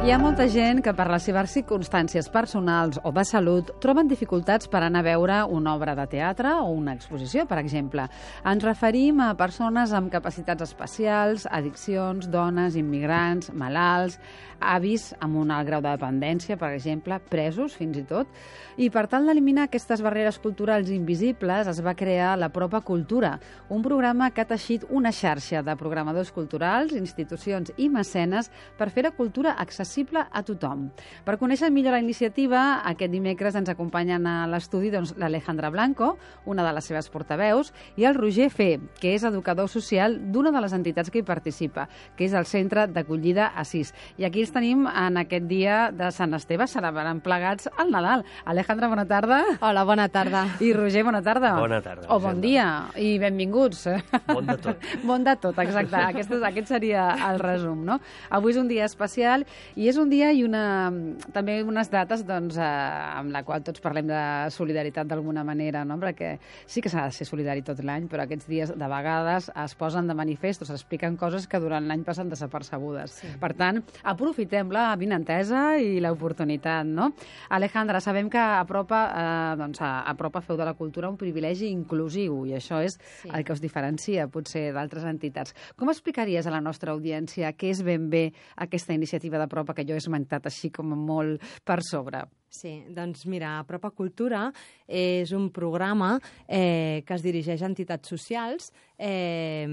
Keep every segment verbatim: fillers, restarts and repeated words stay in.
Hi ha molta gent que per les seves circumstàncies personals o de salut troben dificultats per anar a veure una obra de teatre o una exposició, per exemple. Ens referim a persones amb capacitats especials, addiccions, dones, immigrants, malalts, avis amb un alt grau de dependència, per exemple, presos fins i tot. I per tal d'eliminar aquestes barreres culturals invisibles es va crear la Propa Cultura, un programa que ha teixit una xarxa de programadors culturals, institucions i mecenes per fer la cultura accessible a tothom. Per conèixer millor la iniciativa, aquest dimecres ens acompanyen a l'estudi doncs, l'Alejandra Blanco, una de les seves portaveus, i el Roger Fe, que és educador social d'una de les entitats que hi participa, que és el Centre d'Acollida Assís. I aquí els tenim en aquest dia de Sant Esteve, celebrant plegats al Nadal. Alejandra, bona tarda. Hola, bona tarda. I Roger, bona tarda. Bona tarda. O bon dia, i benvinguts. Bon de tot. Bon de tot, exacte. Aquest, aquest seria el resum, no? Avui és un dia especial i és un dia i una, també unes dates doncs, eh, amb la qual tots parlem de solidaritat d'alguna manera, no? Perquè sí que s'ha de ser solidari tot l'any, però aquests dies de vegades es posen de manifest o s'expliquen coses que durant l'any passen desapercebudes. Sí. Per tant, aprofitem la vinentesa i l'oportunitat, no? Alejandra, sabem que a Propa, eh, doncs, a, a Propa feu de la cultura un privilegi inclusiu i això és sí. el que us diferencia potser d'altres entitats. Com explicaries a la nostra audiència què és ben bé aquesta iniciativa de Propa que jo he esmentat així com molt per sobre? Sí, doncs mira, Propa Cultura és un programa eh, que es dirigeix a entitats socials eh,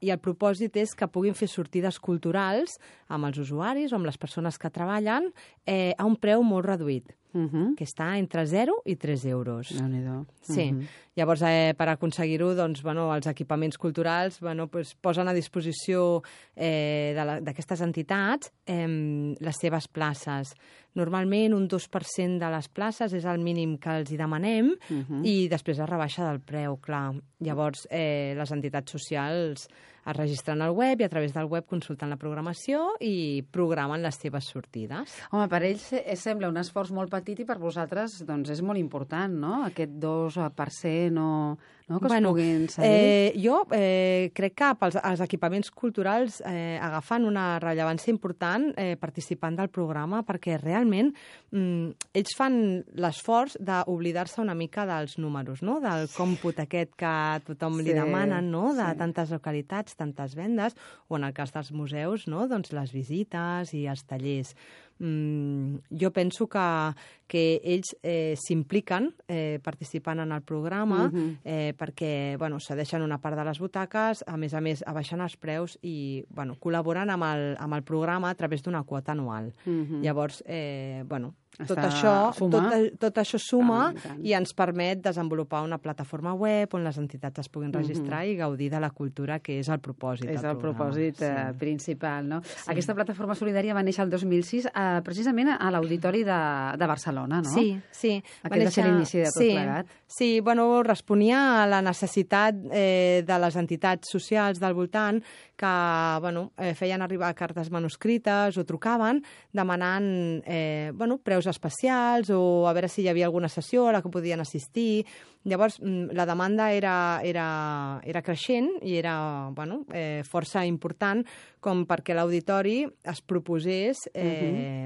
i el propòsit és que puguin fer sortides culturals amb els usuaris o amb les persones que treballen eh, a un preu molt reduït. Uh -huh. Que està entre zero i tres euros. Déu-n'hi-do. Sí. Uh -huh. Llavors, eh, per aconseguir-ho, doncs, bueno, els equipaments culturals bueno, pues, posen a disposició eh, d'aquestes entitats eh, les seves places. Normalment, un dos per cent de les places és el mínim que els hi demanem uh -huh. i després es rebaixa del preu, clar. Llavors, eh, les entitats socials es registren al web i a través del web consulten la programació i programen les seves sortides. Home, per ells sembla un esforç molt petit i per vosaltres doncs, és molt important, no? Aquest dos per cent o... No, que bueno, es puguin cedir. Eh, jo eh, crec que pels, els equipaments culturals eh, agafen una rellevància important eh, participant del programa perquè realment mm, ells fan l'esforç d'oblidar-se una mica dels números, no? Del còmput aquest que tothom sí, li demanen, no? De sí. tantes localitats, tantes vendes, o en el cas dels museus, no? Doncs les visites i els tallers. Mm, jo penso que, que ells eh, s'impliquen eh, participant en el programa uh -huh. eh, perquè bueno, cedeixen una part de les butaques, a més a més abaixen els preus i bueno, col·laboren amb el, amb el programa a través d'una quota anual. Uh -huh. Llavors, eh, bueno, tot això, tot, tot això suma ah, i ens permet desenvolupar una plataforma web on les entitats es puguin registrar uh -huh. i gaudir de la cultura, que és el propòsit És del el programa. propòsit sí. eh, principal, no? Sí. Aquesta plataforma solidària va néixer el dos mil sis eh, precisament a l'Auditori de, de Barcelona, no? Sí, sí. Aquest va ser l'inici de tot sí, plegat. Sí, bueno, responia a la necessitat eh, de les entitats socials del voltant que bueno, eh, feien arribar cartes manuscrites o trucaven demanant eh, bueno, preus especials o a veure si hi havia alguna sessió a la que podien assistir. Llavors, la demanda era, era, era creixent i era bueno, eh, força important com perquè l'auditori es proposés eh,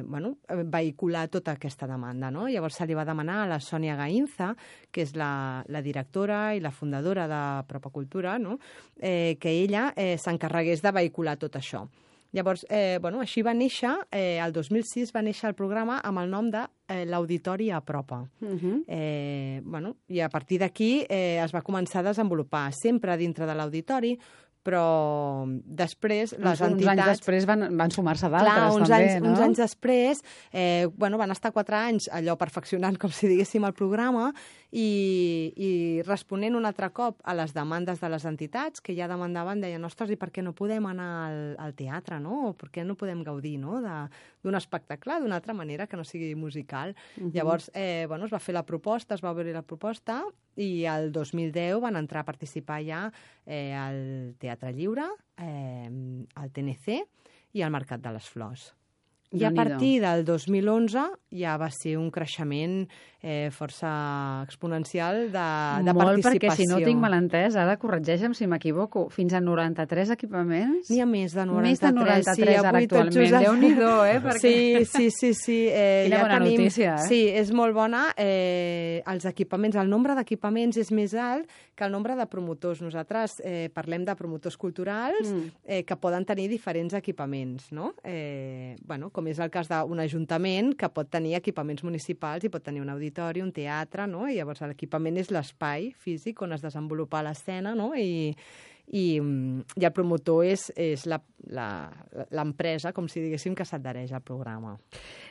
uh -huh. bueno, vehicular tota aquesta demanda. No? Llavors se li va demanar a la Sònia Gainza, que és la, la directora i la fundadora de Propa Cultura, no? eh, que ella eh, s'encarregués de vehicular tot això. Llavors, eh, bueno, així va néixer, eh, el dos mil sis va néixer el programa amb el nom de eh, l'Auditori a Propa. Uh -huh. eh, bueno, I a partir d'aquí eh, es va començar a desenvolupar sempre dintre de l'auditori, però després les uns, entitats... Uns anys després van, van sumar-se d'altres, uns també, anys, no? Uns anys després eh, bueno, van estar quatre anys allò perfeccionant, com si diguéssim, el programa i, i responent un altre cop a les demandes de les entitats que ja demandaven, deien, ostres, i per què no podem anar al, al teatre, no? O per què no podem gaudir no? d'un espectacle d'una altra manera que no sigui musical? Uh -huh. Llavors, eh, bueno, es va fer la proposta, es va obrir la proposta i el dos mil deu van entrar a participar ja eh, al Teatre Lliure, eh, al T N C i al Mercat de les Flors. I a partir del dos mil onze ja va ser un creixement eh, força exponencial de, de Molt, participació. perquè si no tinc mal entès, ara corregeixe'm si m'equivoco, fins a noranta-tres equipaments? N'hi ha més de noranta-tres. Més de noranta-tres sí, ara actualment. Déu-n'hi-do, eh? Perquè... Sí, sí, sí. sí. Eh, Quina ja bona tenim... notícia, eh? Sí, és molt bona. Eh, els equipaments, el nombre d'equipaments és més alt que el nombre de promotors. Nosaltres eh, parlem de promotors culturals mm. eh, que poden tenir diferents equipaments, no? Eh, bueno, com és el cas d'un ajuntament que pot tenir equipaments municipals i pot tenir un auditori, un teatre, no? I llavors l'equipament és l'espai físic on es desenvolupa l'escena, no? I, i, i el promotor és, és l'empresa, com si diguéssim, que s'adhereix al programa.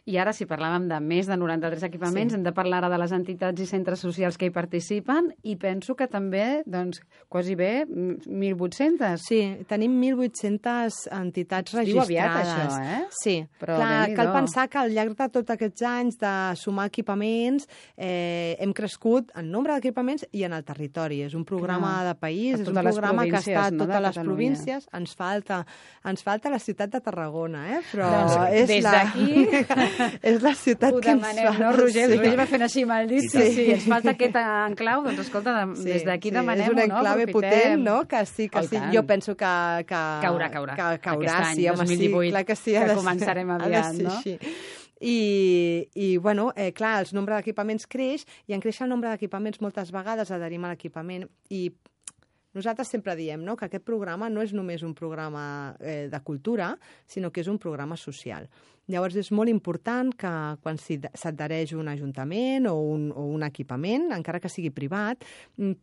I ara, si parlàvem de més de noranta-tres equipaments, sí. hem de parlar ara de les entitats i centres socials que hi participen, i penso que també, doncs, quasi bé, mil vuit-cents. Sí, tenim mil vuit-cents entitats registrades. Diu aviat, això, eh? Sí, però clar, cal pensar que al llarg de tots aquests anys de sumar equipaments eh, hem crescut en nombre d'equipaments i en el territori. És un programa clar. de país, és un programa que està a totes no, les províncies. Ens falta, ens falta la ciutat de Tarragona, eh? Però doncs, és des la... d'aquí... és la ciutat ho que demanem, ens fa. No, Roger? Sí. Després va fent així mal dit. Sí, sí, ens falta aquest enclau. Doncs escolta, de, sí, des d'aquí sí, demanem-ho, no? És un enclave Aprofitem. potent, no? Que sí, que sí. Jo penso que, que... Caurà, caurà. Que caurà, Aquest any, sí, home, dos mil divuit, sí, clar que sí. Que començarem aviat, no? Així. I, i bueno, eh, clar, el nombre d'equipaments creix i en créixer el nombre d'equipaments moltes vegades adherim a l'equipament i nosaltres sempre diem, no?, que aquest programa no és només un programa eh, de cultura, sinó que és un programa social. Llavors és molt important que quan s'adhereix un ajuntament o un, o un equipament, encara que sigui privat,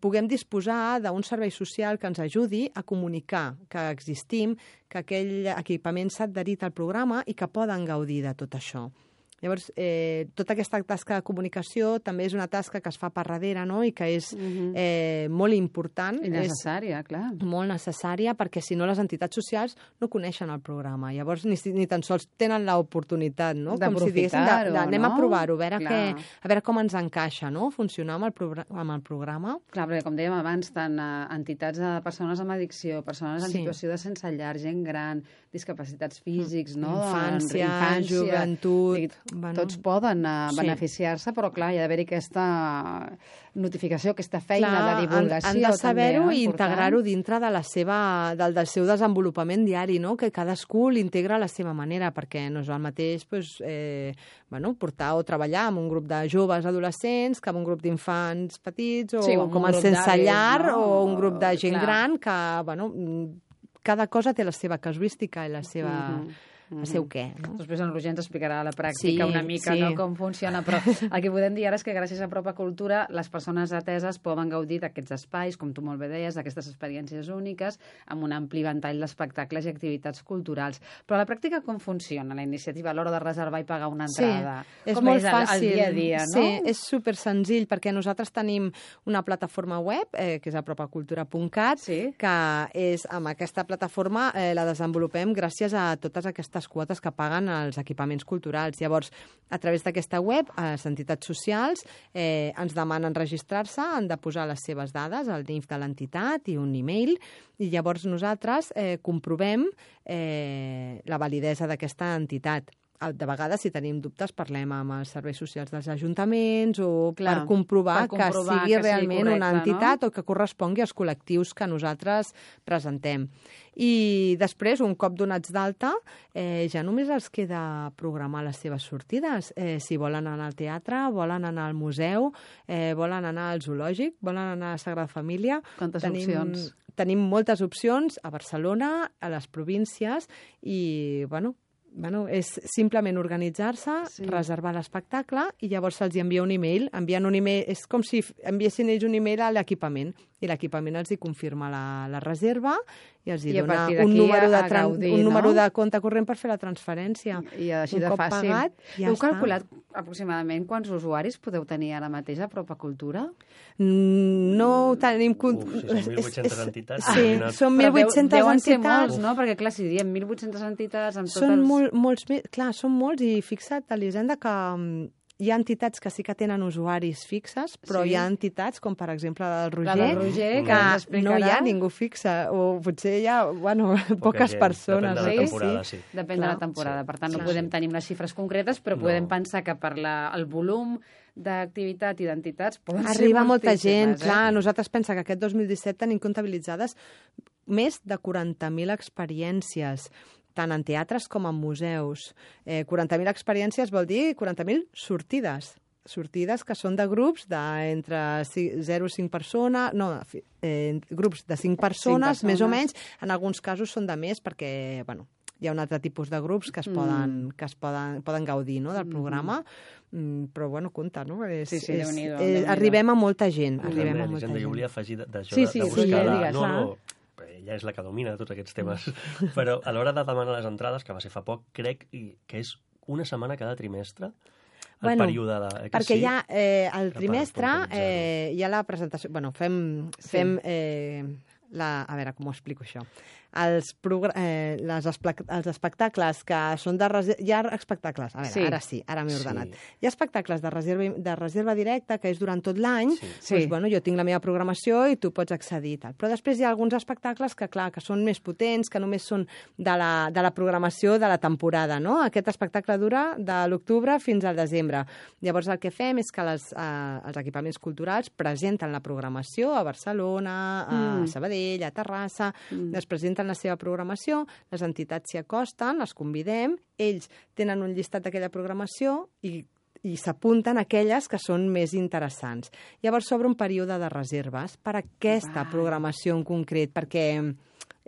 puguem disposar d'un servei social que ens ajudi a comunicar que existim, que aquell equipament s'ha adherit al programa i que poden gaudir de tot això. Llavors, eh, tota aquesta tasca de comunicació també és una tasca que es fa per darrere, no?, i que és uh-huh. eh, molt important. I necessària, és clar. Molt necessària, perquè si no les entitats socials no coneixen el programa. Llavors, ni, ni tan sols tenen l'oportunitat, no?, com si diguéssim, de, de, anem no? a provar-ho, a, veure que, a veure com ens encaixa, no?, funcionar amb el, progr amb el programa. Clar, perquè com dèiem abans, tant uh, entitats de persones amb addicció, persones en sí. situació de sense llar, gent gran, discapacitats físics, no?, infància, infància joventut... Bueno, tots poden uh, sí. beneficiar-se, però clar, hi ha d'haver-hi aquesta notificació, aquesta feina clar, de divulgació. Han, han de saber-ho no? i integrar-ho dintre de la seva, del, del seu desenvolupament diari, no? Que cadascú l'integra a la seva manera, perquè no és el mateix pues, eh, bueno, portar o treballar amb un grup de joves adolescents que amb un grup d'infants petits o sí, com el sense llar no? o un grup de gent clar. gran que, bueno, cada cosa té la seva casuística i la seva... Mm-hmm. el seu què. No? Després en Roger ens explicarà a la pràctica sí, una mica sí. no, com funciona, però el que podem dir ara és que gràcies a Propa Cultura les persones ateses poden gaudir d'aquests espais, com tu molt bé deies, d'aquestes experiències úniques, amb un ampli ventall d'espectacles i activitats culturals. Però a la pràctica com funciona la iniciativa a l'hora de reservar i pagar una entrada? Sí, és com molt és el, fàcil. El dia a dia, no? Sí, és super senzill, perquè nosaltres tenim una plataforma web, eh, que és apropacultura punt cat, sí. que és amb aquesta plataforma eh, la desenvolupem gràcies a totes aquestes quotes que paguen els equipaments culturals. Llavors, a través d'aquesta web, les entitats socials eh, ens demanen registrar-se, han de posar les seves dades, el N I F de l'entitat i un e-mail, i llavors nosaltres eh, comprovem eh, la validesa d'aquesta entitat. De vegades, si tenim dubtes, parlem amb els serveis socials dels ajuntaments o Clar, per, comprovar per comprovar que sigui que realment sigui correcte, una entitat no? o que correspongui als col·lectius que nosaltres presentem. I després, un cop donats d'alta, eh, ja només els queda programar les seves sortides. Eh, si volen anar al teatre, volen anar al museu, eh, volen anar al zoològic, volen anar a la Sagrada Família. Quantes tenim, opcions? Tenim moltes opcions a Barcelona, a les províncies i, bueno, Bueno, és simplement organitzar-se, sí. reservar l'espectacle i llavors se'ls envia un e-mail. Envien un e-mail. És com si enviessin ells un e-mail a l'equipament i l'equipament els hi confirma la, la reserva i els hi I dona un número, de gaudir, un número no? de compte corrent per fer la transferència. I així un de cop fàcil. Pagat, ja Heu està. calculat aproximadament quants usuaris podeu tenir ara mateix a Propa Cultura? No ho tenim... Uf, si són mil vuit-centes entitats. Sí, són mil vuit-centes deuen entitats. ser molts, no? Perquè, clar, si diem mil vuit-centes entitats... Amb són tots els... molt, molts, clar, són molts i fixa't, Elisenda, que hi ha entitats que sí que tenen usuaris fixes, però Sí. hi ha entitats, com per exemple la del La Roger, del Roger, que ens que explicarà. no hi ha ningú fixe, o potser hi ha, bueno, poques gent, persones. depèn de la oi? temporada, sí. Depèn Clar. de la temporada. Per tant, no Sí, podem sí. tenir unes xifres concretes, però No. podem pensar que per la, el volum d'activitat i d'entitats poden ser Arriba molta gent, moltíssimes, clar. Eh? Nosaltres pensa que aquest dos mil disset tenim comptabilitzades més de quaranta mil experiències, tant en teatres com en museus. Eh, quaranta mil experiències vol dir quaranta mil sortides. Sortides que són de grups d'entre zero a cinc persones, no, eh, grups de cinc persones, persones. més o menys. En alguns casos són de més perquè, bueno, hi ha un altre tipus de grups que es poden, mm. que es poden, poden gaudir no, del programa, mm, però bueno, compte, no? És, Sí, sí, és, Déu-n'hi-do, eh, Déu-n'hi-do. arribem a molta gent, arribem a També, molta Elisenda, gent. jo volia afegir d- d'això Sí, de, sí, de sí, buscar... Roger, la... digues, no, clar. no, ella és la que domina tots aquests temes. Però a l'hora de demanar les entrades, que va ser fa poc, crec i- que és una setmana cada trimestre, el Bueno, període de... Eh, que Perquè sí? hi ha, eh, el Per- trimestre, per organitzar-ho. eh, hi ha la presentació... Bueno, fem, Sí. fem eh, la... A veure, com ho explico això? Els, progr... eh, les esplac... els espectacles que són de reserva... Hi ha espectacles, a veure, Sí. ara sí, ara m'he ordenat. Sí. Hi ha espectacles de reserva, de reserva directa, que és durant tot l'any, Sí. Sí. doncs, bueno, jo tinc la meva programació i tu pots accedir. Tal. Però després hi ha alguns espectacles que, clar, que són més potents, que només són de la, de la programació de la temporada, no? Aquest espectacle dura de l'octubre fins al desembre. Llavors el que fem és que les, eh, els equipaments culturals presenten la programació a Barcelona, a Mm. Sabadell, a Terrassa, mm. es presenten la seva programació, les entitats s'hi acosten, les convidem, ells tenen un llistat d'aquella programació i i s'apunten aquelles que són més interessants. Llavors s'obre un període de reserves per a aquesta Val. programació en concret, perquè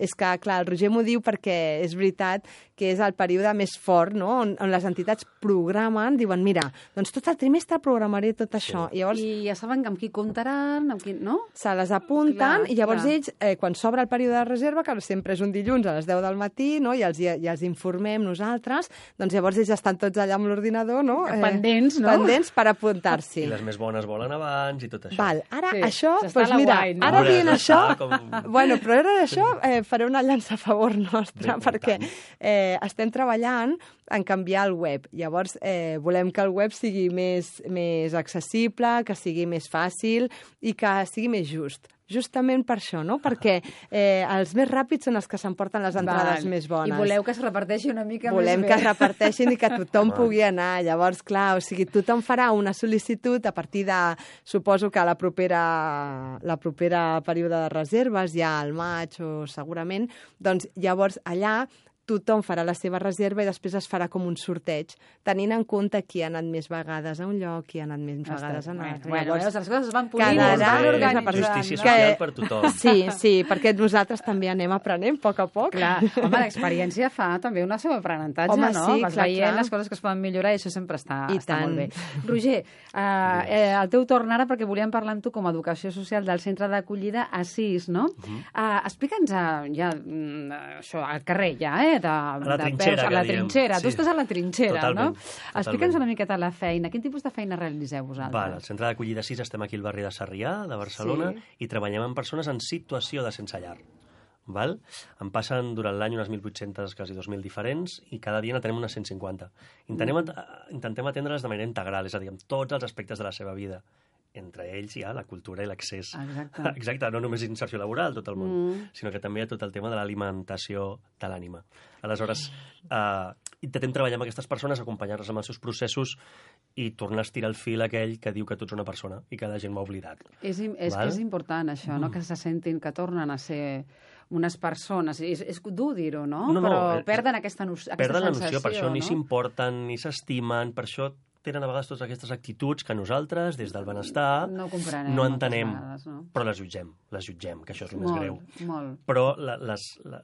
és que, clar, el Roger m'ho diu perquè és veritat que és el període més fort, no?, on, on les entitats programen, diuen, mira, doncs tot el trimestre programaré tot això. I llavors I ja saben amb qui comptaran, amb qui... no? se les apunten Clar, i llavors clar. ells, eh, quan s'obre el període de reserva, que sempre és un dilluns a les deu del matí, no?, i els, i els informem nosaltres, doncs llavors ells estan tots allà amb l'ordinador, no? Pendents, no? Pendents per apuntar-s'hi. I les més bones volen abans i tot això. Val, ara Sí, això, s'està a doncs la mira, guai, no? ara Hombre, dient s'està això, com- bueno, però ara d'això eh, faré una llança a favor nostra, Bé, i perquè tant. eh, estem treballant en canviar el web. Llavors, eh, volem que el web sigui més, més accessible, que sigui més fàcil i que sigui més just. Justament per això, no? Perquè eh, els més ràpids són els que s'emporten les entrades Val. més bones. I voleu que es reparteixi una mica Volem més que bé. es reparteixin i que tothom pugui anar. Llavors, clar, o sigui, tothom farà una sol·licitud a partir de, suposo que la propera, la propera període de reserves, ja al maig o segurament, doncs llavors allà tothom farà la seva reserva i després es farà com un sorteig, tenint en compte qui ha anat més vegades a un lloc, qui ha anat més Està, vegades a un bueno, altre. bueno, Llavors, veus, les coses es van polint, cada es van any és la organitzant. Justícia no? social Que- per tothom. Sí, sí, perquè nosaltres també anem aprenent a poc a poc. Clar, home, l'experiència fa també una seva aprenentatge, Home, no? sí, Vas clar, veient clar. les coses que es poden millorar i això sempre està, I està tant. molt bé. Roger, eh, eh, el teu torn ara, perquè volíem parlar amb tu com a educació social del centre d'acollida Assís, no? Uh -huh. eh, Explica'ns eh, ja, mm, això, al carrer ja, eh? De, la de trinxera, peus, a que la diem. trinxera. Sí. Tu estàs a la trinxera, Totalment, no? totalment. Explica'ns una miqueta la feina. Quin tipus de feina realitzeu vosaltres? Val, al centre d'acollida sis estem aquí al barri de Sarrià, de Barcelona, Sí. i treballem amb persones en situació de sense llar. Val? En passen durant l'any unes mil vuit-centes, quasi dos mil diferents, i cada dia n'atenem unes cent cinquanta. Intentem, at intentem atendre'les de manera integral, és a dir, amb tots els aspectes de la seva vida. Entre ells hi ha la cultura i l'accés. Exacte. Exacte, no només inserció laboral, tot el món, Mm. sinó que també hi ha tot el tema de l'alimentació de l'ànima. Aleshores, eh, intentem treballar amb aquestes persones, acompanyar-les amb els seus processos i tornar a estirar el fil aquell que diu que tu ets una persona i que la gent m'ha oblidat. És, im- és, Val? és important això, no? Que se sentin, que tornen a ser unes persones. És, és dur dir-ho, no? No, no, Però eh, perden aquesta, no, aquesta Perden la sensació, noció, per això ni no? s'importen, ni s'estimen, per això tenen a vegades totes aquestes actituds que nosaltres, des del benestar, No ho comprenem no moltes entenem, vegades, no? però les jutgem, les jutgem, que això és el més Molt, greu. molt. Però la, les, la,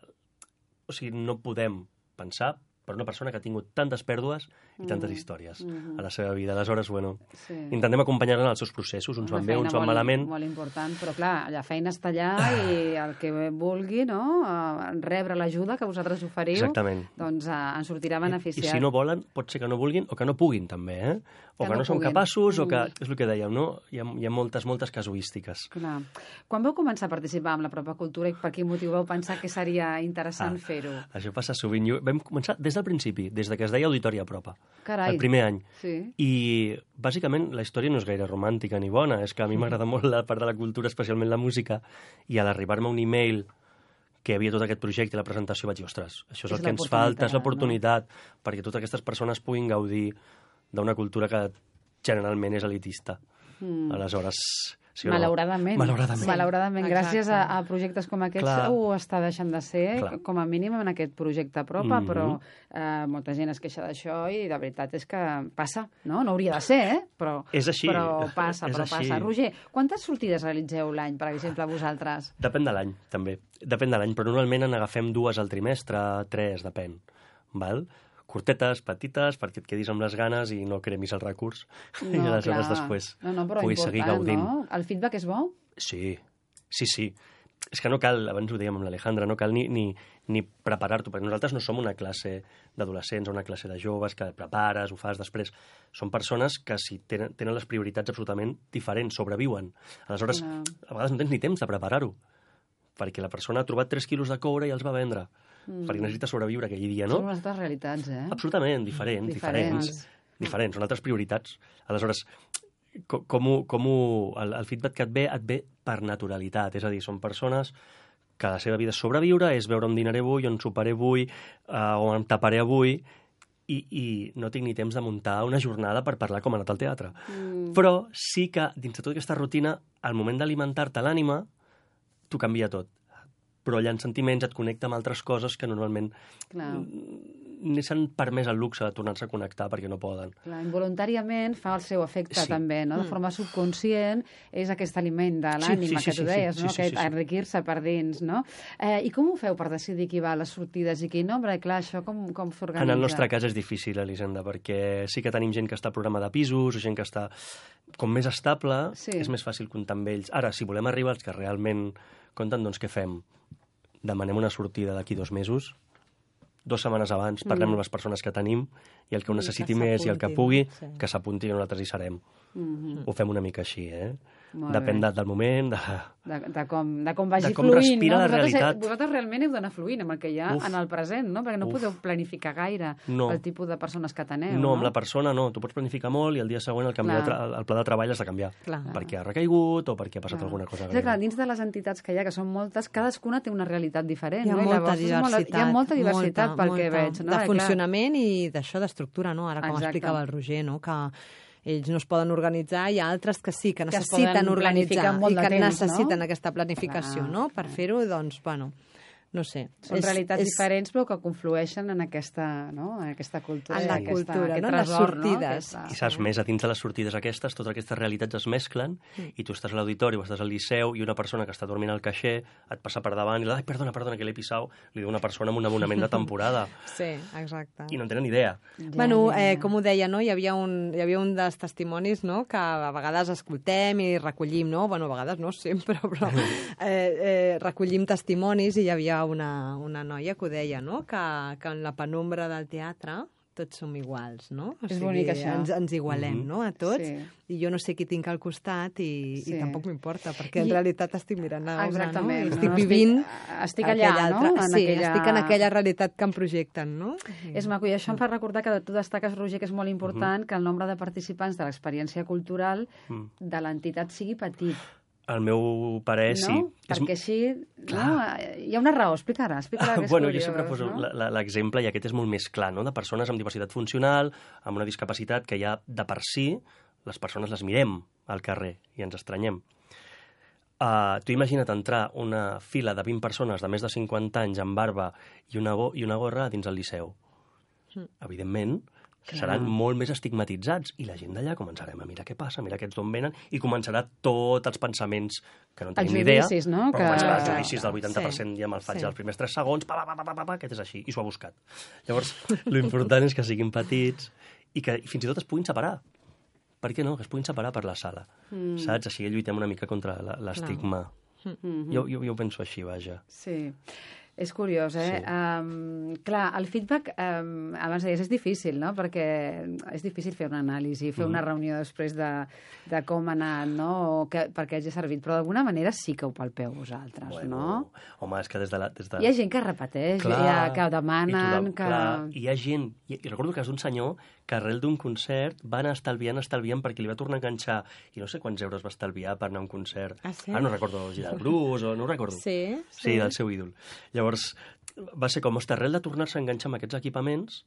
o sigui, no podem pensar per una persona que ha tingut tantes pèrdues i tantes històries Mhm. a la seva vida. Aleshores, bueno, Sí. intentem acompanyar-la en els seus processos, uns Una van bé, feina uns van molt, malament. Molt important, però clar, la feina està allà i el que vulgui, no?, eh, rebre l'ajuda que vosaltres oferiu, Exactament. doncs eh, en sortirà I beneficiat. si no volen, pot ser que no vulguin o que no puguin, també, eh? O Que que, no no, són puguin. capaços, o que... Mm. És el que dèiem, no? Hi ha, hi ha moltes, moltes casuístiques. Clar. Quan vau començar a participar amb la pròpia cultura i per quin motiu vau pensar que seria interessant Ah. fer-ho? Això passa sovint. Jo, vam començar des del principi, des de que es deia Auditori Apropa. Carai. El primer any. Sí. I, bàsicament, la història no és gaire romàntica ni bona. És que a mi m'agrada molt la part de la cultura, especialment la música, i a l'arribar-me un e-mail que hi havia tot aquest projecte i la presentació, vaig dir, ostres, això és, és el que ens falta, és l'oportunitat, no? Perquè totes aquestes persones puguin gaudir d'una cultura que generalment és elitista. Mm. Aleshores... Sí, malauradament. Malauradament. Malauradament. Sí, gràcies a, a projectes com aquests Clar. ho està deixant de ser, Clar. com a mínim en aquest projecte Apropa, mm -hmm. però eh, molta gent es queixa d'això i de veritat és que passa, no? No hauria de ser, eh? Però, és així. Però passa, és però així. passa. Roger, quantes sortides realitzeu l'any, per exemple, vosaltres? Depèn de l'any, també. Depèn de l'any, però normalment en agafem dues al trimestre, tres, depèn. Val? Curtetes, petites, perquè et quedis amb les ganes i no cremis el recurs. No, I aleshores clar. després no, no, però puguis seguir gaudint. No? El feedback és bo? Sí, sí, sí. És que no cal, abans ho dèiem amb l'Alejandra, no cal ni, ni, ni preparar-t'ho, perquè nosaltres no som una classe d'adolescents o una classe de joves que prepares, ho fas després. Són persones que si tenen, tenen les prioritats absolutament diferents, sobreviuen. Aleshores, no. a vegades no tens ni temps de preparar-ho, perquè la persona ha trobat tres quilos de coure i els va vendre. Mm. Perquè necessita sobreviure aquell dia, no? Són unes altres realitats, eh? Absolutament, diferents, diferents. Diferents, diferents. Són altres prioritats. Aleshores, com, com, ho, com ho, el, el feedback que et ve, et ve per naturalitat. És a dir, són persones que la seva vida és sobreviure, és veure on dinaré avui, on soparé avui, uh, on em taparé avui, i, i no tinc ni temps de muntar una jornada per parlar com ha anat al teatre. Mm. Però sí que, dins de tota aquesta rutina, al moment d'alimentar-te l'ànima, t'ho canvia tot. Però allà en sentiments et connecta amb altres coses que normalment Clar. ni s'han permès el luxe de tornar-se a connectar perquè no poden. Clar, involuntàriament fa el seu efecte sí. també, no? De forma subconscient és aquest aliment de l'ànima sí, sí, que tu sí, deies, sí, no? Sí, sí, aquest sí, sí. enriquir-se per dins, no? Eh, I com ho feu per decidir qui va a les sortides i qui no? Perquè, clar, això com, com s'organitza? En el nostre cas és difícil, Elisenda, perquè sí que tenim gent que està al programa de pisos o gent que està com més estable, sí. és més fàcil comptar amb ells. Ara, si volem arribar als que realment compten, doncs què fem? Demanem una sortida d'aquí dos mesos, dues setmanes abans, parlem mm. amb les persones que tenim i el que ho necessiti més i el que pugui, sí. que s'apunti i nosaltres hi serem. Mm-hmm. Ho fem una mica així, eh? Molt Depèn de, del moment, de... De, de, com, de com vagi de com fluint. respira no? la vosaltres, realitat. Vosaltres realment heu d'anar fluint amb el que hi ha Uf. en el present, no? Perquè no Uf. podeu planificar gaire no. el tipus de persones que teneu. No, no, amb la persona no. Tu pots planificar molt i el dia següent el, canvi de tra el pla de treball has de canviar. Clar. Perquè ha recaigut o perquè ha passat clar. alguna cosa. Sí, clar, dins de les entitats que hi ha, que són moltes, cadascuna té una realitat diferent. Hi ha no? molta llavors, diversitat. Molt, hi ha molta diversitat molta, pel molta. que veig. No? De funcionament i d'això, d'estructura, no? Ara, com Exacte. explicava el Roger, no? Que ells no es poden organitzar, hi ha altres que sí, que necessiten que organitzar i que temps, necessiten no? aquesta planificació, clar, no? Per fer-ho, doncs, bueno, no sé. Són és, realitats és... diferents, però que conflueixen en aquesta, no? en aquesta cultura. En la aquesta, cultura, aquest no? Tresor, les sortides. No? Aquesta... I saps més, a dins de les sortides aquestes, totes aquestes realitats es mesclen mm. i tu estàs a l'auditori o estàs al liceu i una persona que està dormint al caixer et passa per davant i li diu, ai, perdona, perdona, que l'he pisat, li diu una persona amb un abonament de temporada. Sí, exacte. I no en tenen idea. Ja, bueno, eh, com ho deia, no? Hi havia un, hi havia un dels testimonis, no?, que a vegades escoltem i recollim, no? Bueno, a vegades no sempre, però eh, eh, recollim testimonis i hi havia una, una una noia que ho deia, no? Que, que en la penombra del teatre tots som iguals, no? O és sigui, bonic, això. Ens, ens igualem, mm-hmm. no?, a tots. Sí. I jo no sé qui tinc al costat i, sí. i tampoc m'importa, perquè en I... realitat estic mirant a una, no? Estic no, vivint... Estic, estic allà, no? En sí, aquella... estic en aquella realitat que em projecten, no? Sí. És maco, i això em fa recordar que tu destaques, Roger, que és molt important mm-hmm. que el nombre de participants de l'experiència cultural mm. de l'entitat sigui petit. Al meu parer, no? sí. Perquè així... No? Hi ha una raó, explica-la. explica bueno, curiós, jo sempre poso no? l'exemple, i aquest és molt més clar, no? De persones amb diversitat funcional, amb una discapacitat que ja de per si les persones les mirem al carrer i ens estranyem. Uh, tu imagina't entrar una fila de vint persones de més de cinquanta anys amb barba i una, go i una gorra dins el liceu. Mm. Evidentment, Clar. seran molt més estigmatitzats i la gent d'allà començarem a mirar què passa, mirar aquests d'on venen i començarà tots els pensaments que no en tenim ni idea. Els judicis, no? Però que... començarà els judicis del vuitanta per cent sí. ja me'l faig sí. els primers tres segons, pa, pa, pa, pa, pa, pa, aquest és així, i s'ho ha buscat. Llavors, l'important és que siguin petits i que fins i tot es puguin separar. Per què no? Que es puguin separar per la sala. Mm. Saps? Així lluitem una mica contra l'estigma. Mm-hmm. Jo, jo, jo ho penso així, vaja. Sí. És curiós, eh? Sí. Um, clar, el feedback, um, abans deies, és difícil, no? Perquè és difícil fer una anàlisi, fer mm. una reunió després de, de com ha anat, no? O que, perquè hagi servit. Però d'alguna manera sí que ho palpeu vosaltres, bueno, no? Home, és que des de la... Des de... Hi ha gent que repeteix, clar, hi ha, que demanen... I, tothom, que... clar, hi ha gent... I, i recordo que és un senyor que arrel d'un concert va anar estalviant, estalviant, perquè li va tornar a enganxar, i no sé quants euros va estalviar per anar a un concert. Ah, sí? Ah, no recordo, Gerard Bruce, o no ho recordo. Sí, sí. Sí, del seu ídol. Llavors, va ser com, ostres, arrel de tornar-se a enganxar amb aquests equipaments,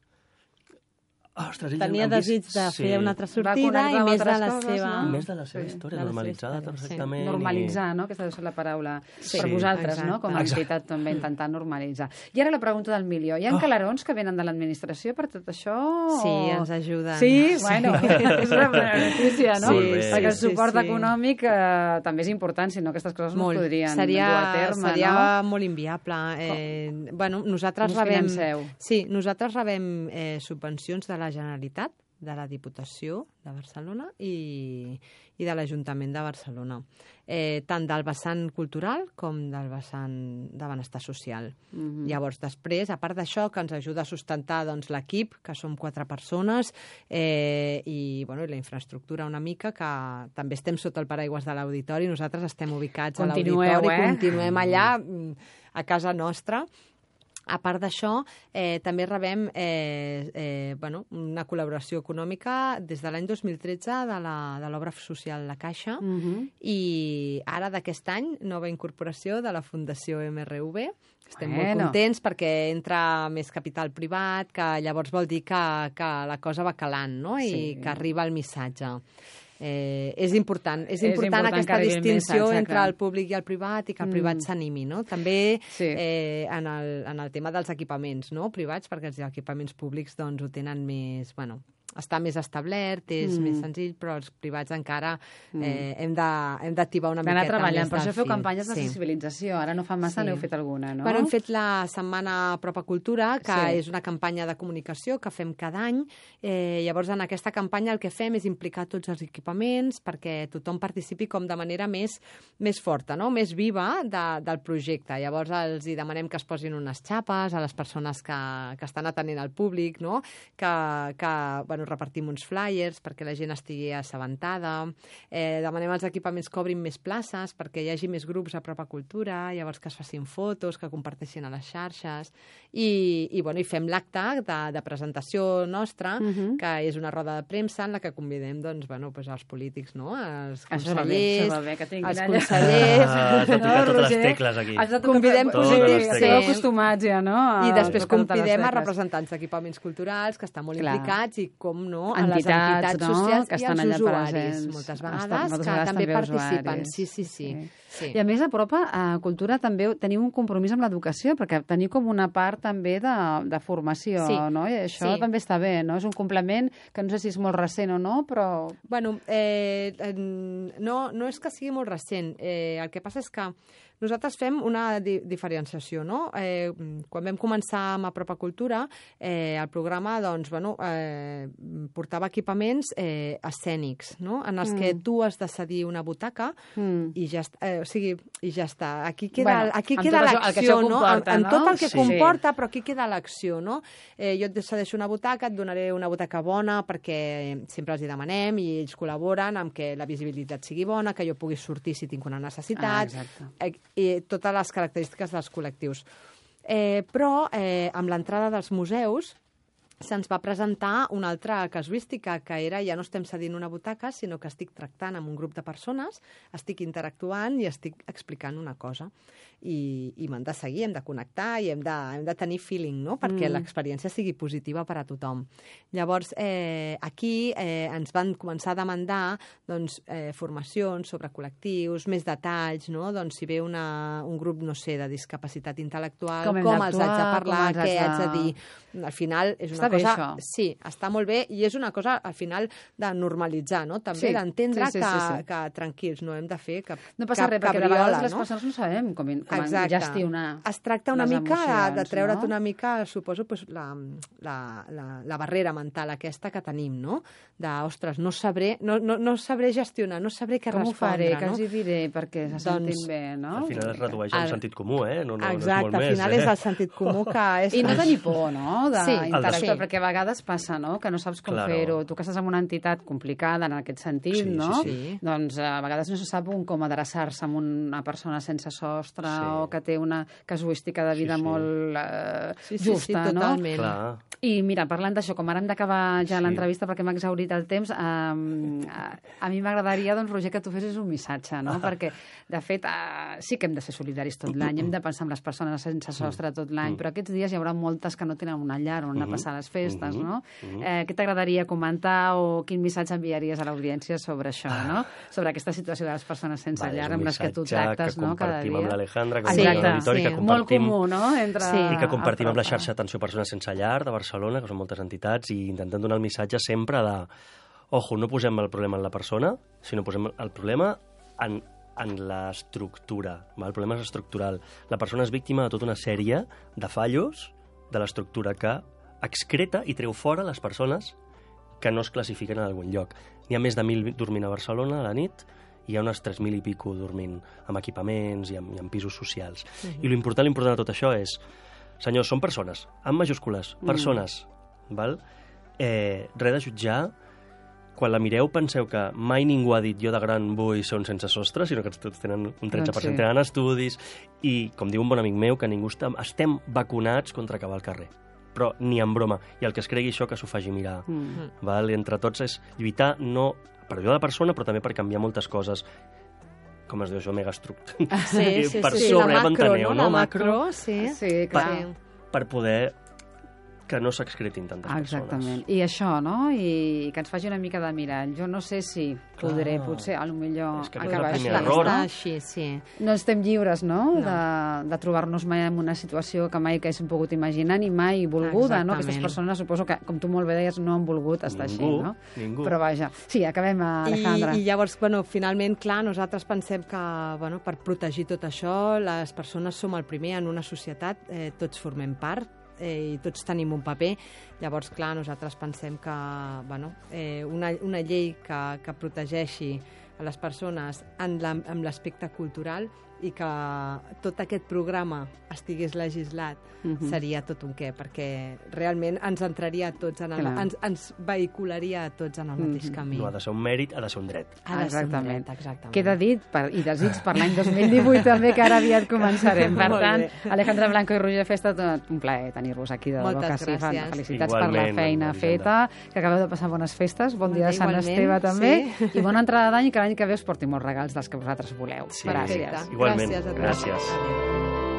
ostres, tenia desig de sí. fer una altra sortida i més de la coses, seva... no? Més de la seva Sí. història, De la normalitzada seva història, perfectament. Sí. Normalitzar, no? Aquesta deu ser la paraula Sí. per vosaltres, Exacte. no? Com a entitat també intentar normalitzar. I ara la pregunta del milió. Hi ha Oh. calarons que venen de l'administració per tot això? Sí, o- ens ajuden. Sí? Bueno, és una bona notícia, no? Sí, Molt bé. Perquè el sí, suport sí. econòmic eh, també és important, si no aquestes coses Molt. no es podrien seria, dur a terme, seria no? molt inviable. Eh, bueno, nosaltres Com us rebem, financeu? sí, nosaltres rebem eh, subvencions de la Generalitat, de la Diputació de Barcelona i, i de l'Ajuntament de Barcelona, eh, tant del vessant cultural com del vessant de benestar social. Mhm. Llavors, després, a part d'això, que ens ajuda a sustentar doncs, l'equip, que som quatre persones, eh, i, bueno, i la infraestructura una mica, que també estem sota el paraigües de l'auditori, nosaltres estem ubicats Continueu, a l'auditori, eh? continuem allà, mm, a casa nostra. A part d'això, eh, també rebem eh, eh, bueno, una col·laboració econòmica des de l'any dos mil tretze de la- de l'obra social La Caixa, Mhm. i ara d'aquest any, nova incorporació de la Fundació M R V. Estem Bueno. molt contents perquè entra més capital privat, que llavors vol dir que, que la cosa va calant, no? I Sí. que arriba el missatge. Eh, és important, és És important, important que aquesta arribi el distinció missatge, entre clar. el públic i el privat i que el Mm. privat s'animi, no? També Sí. eh, en, el, en el tema dels equipaments, no? Privats, perquè els equipaments públics doncs, ho tenen més... Bueno, està més establert, és Mm. més senzill, però els privats encara eh, hem de- hem d'activar una D'anar miqueta treballant. més Per del això feu fil. campanyes de Sí. sensibilització. Ara no fa massa, Sí. n'heu fet alguna, no? Bueno, hem fet la setmana Propa Cultura, que Sí. és una campanya de comunicació que fem cada any. Eh, llavors, en aquesta campanya el que fem és implicar tots els equipaments perquè tothom participi com de manera més, més forta, no? Més viva de, del projecte. Llavors, els hi demanem que es posin unes xapes a les persones que, que estan atenent al públic, no? Que, que bueno, repartim uns flyers perquè la gent estigui assabentada. Eh, demanem als equipaments que obrin més places perquè hi hagi més grups a Propa Cultura, llavors que es facin fotos, que comparteixin a les xarxes. I, i, bueno, i fem l'acte de, de presentació nostra, Mhm. que és una roda de premsa en la que convidem doncs, bueno, doncs els polítics, no? Els Això va bé, consellers, això va bé, que tinguin els allà. consellers. Ah, has de tocar totes les Roger? tecles aquí. Has de tocar... Convidem sí, polítics, sí, sí. esteu acostumats ja, no? A I després tocar totes les convidem a tecles. representants d'equipaments culturals que estan molt Clar. implicats i, com no, a les Entitats, entitats no? socials Que i estan als allà usuaris, presents. moltes Estan- vegades, moltes que vegades també també participen. usuaris. Sí, sí, sí. Sí. sí. I a més, a Propa a Cultura també teniu un compromís amb l'educació, perquè teniu com una part també de, de formació, Sí. no? I això Sí. també està bé, no? És un complement que no sé si és molt recent o no, però... Bueno, eh, eh, no, no és que sigui molt recent. Eh, el que passa és que nosaltres fem una di diferenciació, no? Eh, quan vam començar amb Apropa Cultura, eh, el programa, doncs, bueno, eh, portava equipaments eh, escènics, no? En els mm. que tu has de cedir una butaca Mm. i ja, eh, o sigui, i ja està. Aquí queda, Bueno, aquí amb queda tot això- el que l'acció, això no? comporta, En, en no? tot el que Sí. comporta, però aquí queda l'acció, no? Eh, jo et cedeixo una butaca, et donaré una butaca bona perquè sempre els hi demanem i ells col·laboren amb que la visibilitat sigui bona, que jo pugui sortir si tinc una Ah, necessitat, exacte. eh, i totes les característiques dels col·lectius. Eh, però eh, amb l'entrada dels museus se'ns va presentar una altra casuística, que era ja no estem cedint una butaca, sinó que estic tractant amb un grup de persones, estic interactuant i estic explicant una cosa. I, i m'han de seguir, hem de connectar i hem de, hem de tenir feeling, no? Perquè Mm. l'experiència sigui positiva per a tothom. Llavors, eh, aquí eh, ens van començar a demandar doncs, eh, formacions sobre col·lectius, més detalls, no? Doncs si ve una, un grup, no sé, de discapacitat intel·lectual, Com hem com els haig de d'actuar, parlar, com els què haig haig de de- dir. Al final és una Està bé, cosa... això. Sí, està molt bé, i és una cosa, al final, de normalitzar, no? També Sí, d'entendre sí, sí, que, sí, sí. que, tranquils, no hem de fer cap No passa cap res, perquè de cabriola, vegades les no? persones no sabem com, com Exacte. gestionar Es tracta una les mica de, de emocions, treure't no? una mica, suposo, pues, la, la, la, la barrera mental aquesta que tenim, no? De, ostres, no sabré, no, no, no sabré gestionar, no sabré què Com ho faré, respondre, què no? els hi diré perquè se sentin Doncs, bé, no? Al final es redueix al Al- sentit comú, eh? No, no, Exacte, no és molt al més, final eh? és el sentit comú que és... I no tenir por, no?, Sí, d'interactuar, sí. perquè a vegades passa, no?, que no saps com Claro. fer-ho. Tu que estàs en una entitat complicada en aquest sentit, Sí, sí, no? sí. Doncs a vegades no se sap un com adreçar-se a una persona sense sostre Sí. o que té una casuística de vida Sí, sí. molt eh, Sí, sí, justa, sí, no? totalment. Clar. I mira, parlant d'això, com ara hem d'acabar ja Sí. l'entrevista perquè m'ha exhaurit el temps, eh, a mi m'agradaria, doncs, Roger, que tu fessis un missatge, no? Perquè, de fet, eh, sí que hem de ser solidaris tot l'any, hem de pensar en les persones sense sostre tot l'any, però aquests dies hi haurà moltes que no tenen una llar on anar a passar les festes, no? Eh, què t'agradaria comentar o quin missatge enviaries a l'audiència sobre això, no? Sobre aquesta situació de les persones sense Vale, és llar un amb les que tu missatge tractes, que no?, cada compartim dia. amb l'Alejandra, que Sí, compartim amb l'auditori, sí. que Molt compartim... comú, no?, entre... Sí. I que compartim amb la el xarxa d'atenció a persones sense llar de Barcelona, que són moltes entitats, i intentem donar el missatge sempre de ojo, no posem el problema en la persona, sinó posem el problema en, en l'estructura. El problema és estructural. La persona és víctima de tota una sèrie de fallos de l'estructura que excreta i treu fora les persones que no es classifiquen en algun lloc. N'hi ha més de mil dormint a Barcelona a la nit, i hi ha unes tres mil i pico dormint amb equipaments i amb, i amb pisos socials. I l'important, l'important de tot això és, senyors, són persones, amb majúscules, persones, val? Eh, res de jutjar. Quan la mireu penseu que mai ningú ha dit jo de gran vull ser un sense sostre, sinó que tots tenen un tretze per cent Doncs sí. tenen estudis, i com diu un bon amic meu, que ningú està, estem vacunats contra acabar al carrer, però ni en broma, i el que es cregui això que s'ho faci mirar. Mm. Val? I entre tots és lluitar no per ajudar la persona, però també per canviar moltes coses, com es diu això, megaestructura. Sí, sí, per sí, sobre, la ja macro, m'enteneu, no? no? La macro, sí. Sí, clar. Sí. Per poder que no s'excretin tantes Exactament. persones. I això, no? I que ens faci una mica de mirall. Jo no sé si podré, Clar. potser, a lo millor, És que aquest és el acabar primer així. error. Està així, sí. No estem lliures, no?, No. de, de trobar-nos mai en una situació que mai que haguéssim pogut imaginar ni mai volguda, no? Exactament. Aquestes persones, suposo que, com tu molt bé deies, no han volgut estar Ningú, així, no? ningú. Però vaja. Sí, acabem, Alejandra. I, I llavors, bueno, finalment, clar, nosaltres pensem que, bueno, per protegir tot això, les persones som el primer en una societat, eh, tots formem part, eh, i tots tenim un paper. Llavors, clar, nosaltres pensem que, bueno, eh, una, una llei que, que protegeixi a les persones en la, amb l'aspecte cultural i que tot aquest programa estigués legislat Mhm. seria tot un què, perquè realment ens entraria a tots, en el, Clar. ens, ens vehicularia a tots en el mateix Mhm. camí. No ha de ser un mèrit, ha de ser un dret. Ha de ser un Exactament. dret, exactament. Queda dit, per, i desig per l'any dos mil divuit també, que ara aviat començarem. Per Molt tant, bé. Alejandra Blanco i Roger Festa, tot un plaer tenir-vos aquí. De debò Moltes que sí, fan- gràcies. felicitats per la Igualment, feina Elisenda. feta, que acabeu de passar bones festes, bon dia de Sant Igualment, Esteve també, sí. i bona entrada d'any, i que l'any que ve us porti molts regals dels que vosaltres voleu. Sí. Gràcies. Perfecte. Igualment. Gràcies a tots. Gràcies. Adéu.